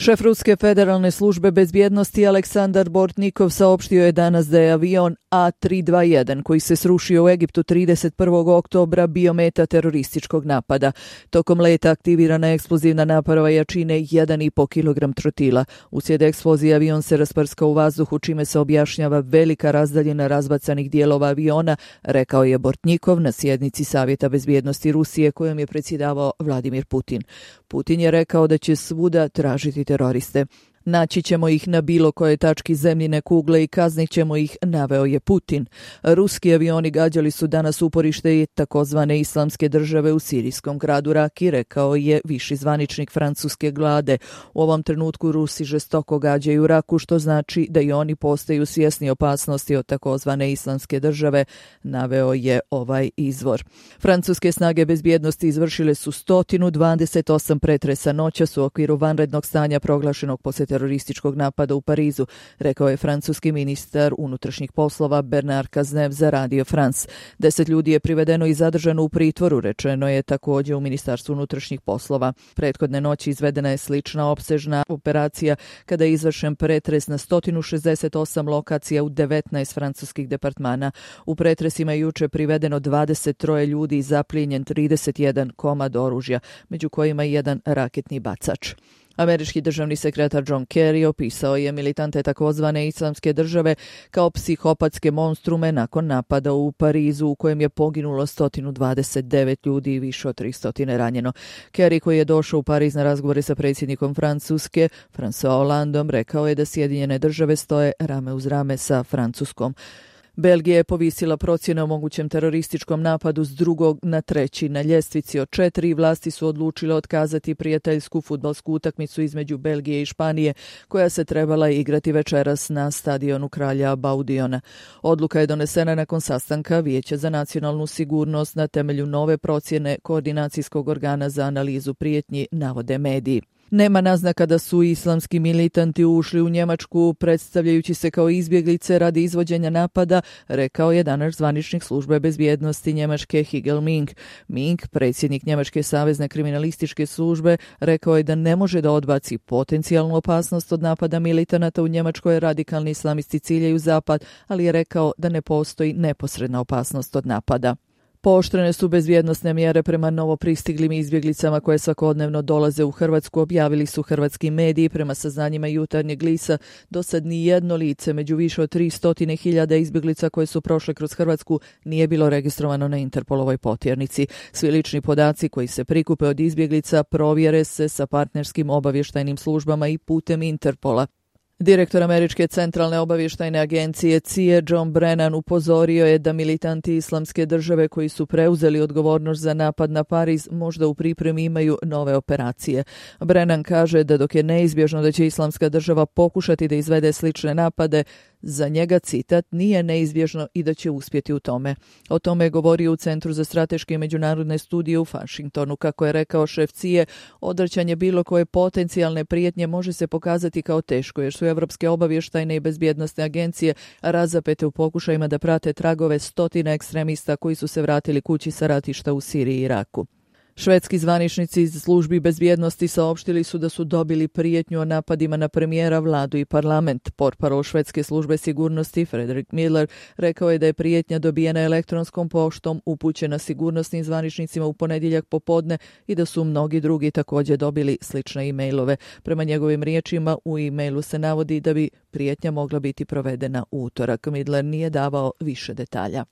Šef Ruske federalne službe bezbjednosti Aleksandar Bortnikov saopštio je danas da je avion A321 koji se srušio u Egiptu 31. oktobra bio meta terorističkog napada. Tokom leta aktivirana je eksplozivna naparova jačine 1,5 kg trotila. Uslijed eksplozije avion se rasprskao u vazduhu, čime se objašnjava velika razdaljina razbacanih dijelova aviona, rekao je Bortnikov na sjednici Savjeta bezbjednosti Rusije kojom je predsjedavao Vladimir Putin. Putin je rekao da će svuda tražiti teroriste. Naći ćemo ih na bilo kojoj tački zemljine kugle i kaznit ćemo ih, naveo je Putin. Ruski avioni gađali su danas uporište i takozvane islamske države u sirijskom gradu Raki, rekao je viši zvaničnik francuske vlade. U ovom trenutku Rusi žestoko gađaju Raku, što znači da i oni postaju svjesni opasnosti od takozvane islamske države, naveo je ovaj izvor. Francuske snage bezbjednosti izvršile su 128 pretresa noćas u okviru vanrednog stanja proglašenog poslije terorističkog napada u Parizu, rekao je francuski ministar unutrašnjih poslova Bernard Cazeneuve za Radio France. 10 ljudi je privedeno i zadržano u pritvoru, rečeno je također u Ministarstvu unutrašnjih poslova. Prethodne noći izvedena je slična opsežna operacija kada je izvršen pretres na 168 lokacija u 19 francuskih departmana. U pretresima je juče privedeno 23 ljudi i zaplijenjen 31 komad oružja, među kojima i jedan raketni bacač. Američki državni sekretar John Kerry opisao je militante takozvane islamske države kao psihopatske monstrume nakon napada u Parizu u kojem je poginulo 129 ljudi i više od 300 ranjeno. Kerry, koji je došao u Pariz na razgovore sa predsjednikom Francuske, François Hollandom, rekao je da Sjedinjene države stoje rame uz rame sa Francuskom. Belgija je povisila procjene o mogućem terorističkom napadu s 2. na 3. na ljestvici od 4. Vlasti su odlučile otkazati prijateljsku fudbalsku utakmicu između Belgije i Španije, koja se trebala igrati večeras na stadionu Kralja Baudiona. Odluka je donesena nakon sastanka Vijeća za nacionalnu sigurnost na temelju nove procjene koordinacijskog organa za analizu prijetnji, navode mediji. Nema naznaka da su islamski militanti ušli u Njemačku predstavljajući se kao izbjeglice radi izvođenja napada, rekao je danas zvaničnik službe bezbjednosti Njemačke Higel Mink. Mink, predsjednik Njemačke savezne kriminalističke službe, rekao je da ne može da odbaci potencijalnu opasnost od napada militanata u Njemačkoj. Radikalni islamisti ciljaju zapad, ali je rekao da ne postoji neposredna opasnost od napada. Pooštrene su bezbjednosne mjere prema novopristiglim izbjeglicama koje svakodnevno dolaze u Hrvatsku, objavili su hrvatski mediji. Prema saznanjima Jutarnjeg lista, do sad ni jedno lice među više od 300.000 izbjeglica koje su prošle kroz Hrvatsku nije bilo registrovano na Interpolovoj potjernici. Svi lični podaci koji se prikupe od izbjeglica provjere se sa partnerskim obavještajnim službama i putem Interpola. Direktor Američke centralne obavještajne agencije CIA John Brennan upozorio je da militanti islamske države koji su preuzeli odgovornost za napad na Pariz možda u pripremi imaju nove operacije. Brennan kaže da dok je neizbježno da će islamska država pokušati da izvede slične napade, za njega, citat, nije neizbježno i da će uspjeti u tome. O tome je govorio u Centru za strateške i međunarodne studije u Washingtonu. Kako je rekao šef CIA, odvraćanje bilo koje potencijalne prijetnje može se pokazati kao teško, jer su evropske obavještajne i bezbjednosne agencije razapete u pokušajima da prate tragove stotina ekstremista koji su se vratili kući sa ratišta u Siriji i Iraku. Švedski zvaničnici iz službi bezbjednosti saopštili su da su dobili prijetnju o napadima na premijera, vladu i parlament. Portparol švedske službe sigurnosti Fredrik Miller rekao je da je prijetnja dobijena elektronskom poštom upućena sigurnosnim zvaničnicima u ponedjeljak popodne i da su mnogi drugi također dobili slične e-mailove. Prema njegovim riječima, u e-mailu se navodi da bi prijetnja mogla biti provedena u utorak. Miller nije davao više detalja.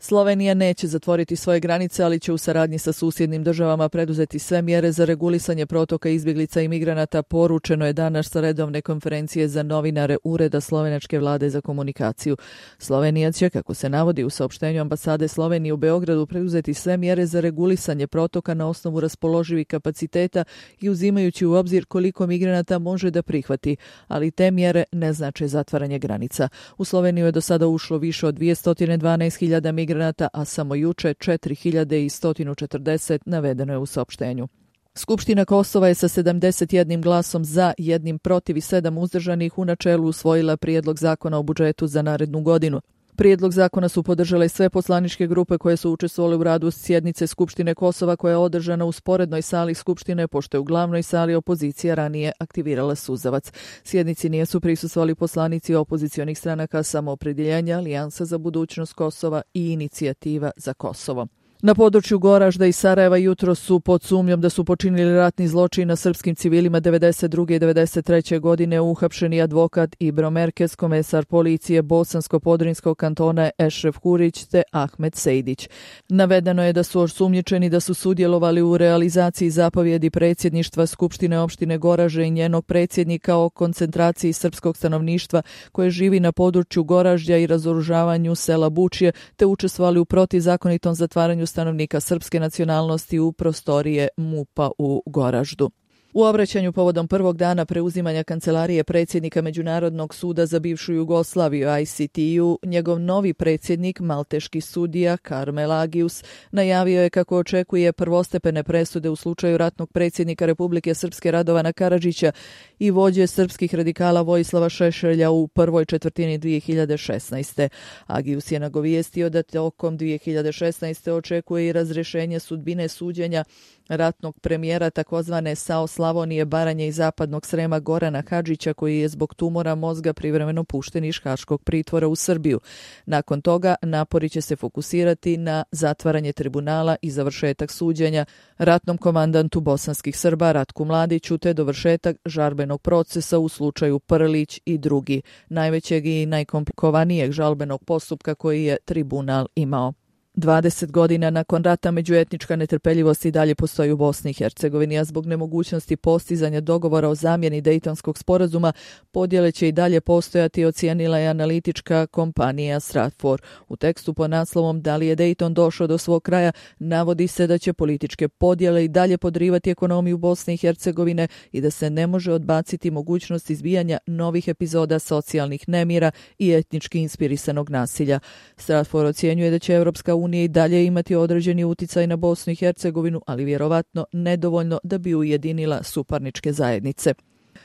Slovenija neće zatvoriti svoje granice, ali će u saradnji sa susjednim državama preduzeti sve mjere za regulisanje protoka izbjeglica i migranata, poručeno je danas sa redovne konferencije za novinare Ureda slovenačke vlade za komunikaciju. Slovenija će, kako se navodi u saopštenju ambasade Slovenije u Beogradu, preduzeti sve mjere za regulisanje protoka na osnovu raspoloživih kapaciteta i uzimajući u obzir koliko migranata može da prihvati, ali te mjere ne znače zatvaranje granica. U Sloveniju je do sada ušlo više od 212.000 migranata, a samo juče 4.140, navedeno je u saopštenju. Skupština Kosova je sa 71 glasom za, 1 protiv i 7 uzdržanih u načelu usvojila prijedlog zakona o budžetu za narednu godinu. Prijedlog zakona su podržale sve poslaničke grupe koje su učestvovale u radu sjednice Skupštine Kosova koja je održana u sporednoj sali Skupštine, pošto je u glavnoj sali opozicija ranije aktivirala suzavac. Sjednici nisu prisustvovali poslanici opozicionih stranaka Samoopredjeljenja, Alijansa za budućnost Kosova i Inicijativa za Kosovo. Na području Goražda i Sarajeva jutro su pod sumnjom da su počinili ratni zločin na srpskim civilima 92. i 93. godine uhapšeni advokat Ibro Merkez, komesar policije Bosansko-Podrinskog kantona Ešref Hurić te Ahmed Sejdić. Navedeno je da su osumnjičeni da su sudjelovali u realizaciji zapovjedi predsjedništva Skupštine opštine Goražde i njenog predsjednika o koncentraciji srpskog stanovništva koje živi na području Goraždja i razoružavanju sela Bučje, te učestvovali u protizakonitom zatvaranju stanovnika srpske nacionalnosti u prostorije MUP-a u Goraždu. U obraćanju povodom prvog dana preuzimanja kancelarije predsjednika Međunarodnog suda za bivšu Jugoslaviju ICTU, njegov novi predsjednik, malteški sudija Karmel Agius, najavio je kako očekuje prvostepene presude u slučaju ratnog predsjednika Republike Srpske Radovana Karadžića i vođe srpskih radikala Vojislava Šešelja u prvoj četvrtini 2016. Agius je nagovijestio da tokom 2016. očekuje i razrješenje sudbine suđenja ratnog premijera takozvane SAO Slavonije, Baranje i Zapadnog Srema Gorana Hadžića, koji je zbog tumora mozga privremeno pušten iz haškog pritvora u Srbiju. Nakon toga napori će se fokusirati na zatvaranje tribunala i završetak suđenja ratnom komandantu bosanskih Srba Ratku Mladiću te dovršetak žalbenog procesa u slučaju Prlić i drugi, najvećeg i najkomplikovanijeg žalbenog postupka koji je tribunal imao. 20 godina nakon rata međuetnička netrpeljivost i dalje postoji u Bosni i Hercegovini, a zbog nemogućnosti postizanja dogovora o zamjeni Dejtonskog sporazuma, podjele će i dalje postojati, ocijenila je analitička kompanija Stratfor. U tekstu pod naslovom Da li je Dejton došao do svog kraja, navodi se da će političke podjele i dalje podrivati ekonomiju Bosne i Hercegovine i da se ne može odbaciti mogućnost izbijanja novih epizoda socijalnih nemira i etnički inspirisanog nasilja. Stratfor ocjenjuje da će Europska unija i dalje imati određeni uticaj na Bosnu i Hercegovinu, ali vjerovatno nedovoljno da bi ujedinila suparničke zajednice.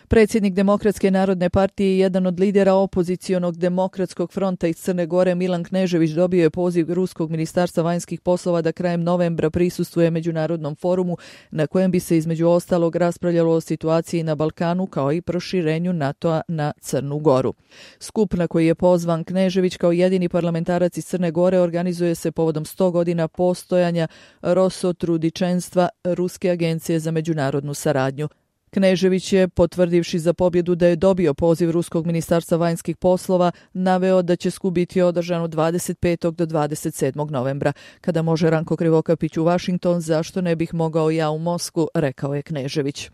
Predsjednik Demokratske narodne partije i jedan od lidera opozicionog Demokratskog fronta iz Crne Gore Milan Knežević dobio je poziv Ruskog ministarstva vanjskih poslova da krajem novembra prisustvuje međunarodnom forumu na kojem bi se između ostalog raspravljalo o situaciji na Balkanu kao i proširenju NATO-a na Crnu Goru. Skup na koji je pozvan Knežević kao jedini parlamentarac iz Crne Gore organizuje se povodom 100 godina postojanja Rosotrudničenstva, Ruske agencije za međunarodnu saradnju. Knežević je, potvrdivši za pobjedu da je dobio poziv Ruskog ministarstva vanjskih poslova, naveo da će skup biti održan od 25. do 27. novembra. Kada može Ranko Krivokapić u Washington, zašto ne bih mogao ja u Moskvu, rekao je Knežević.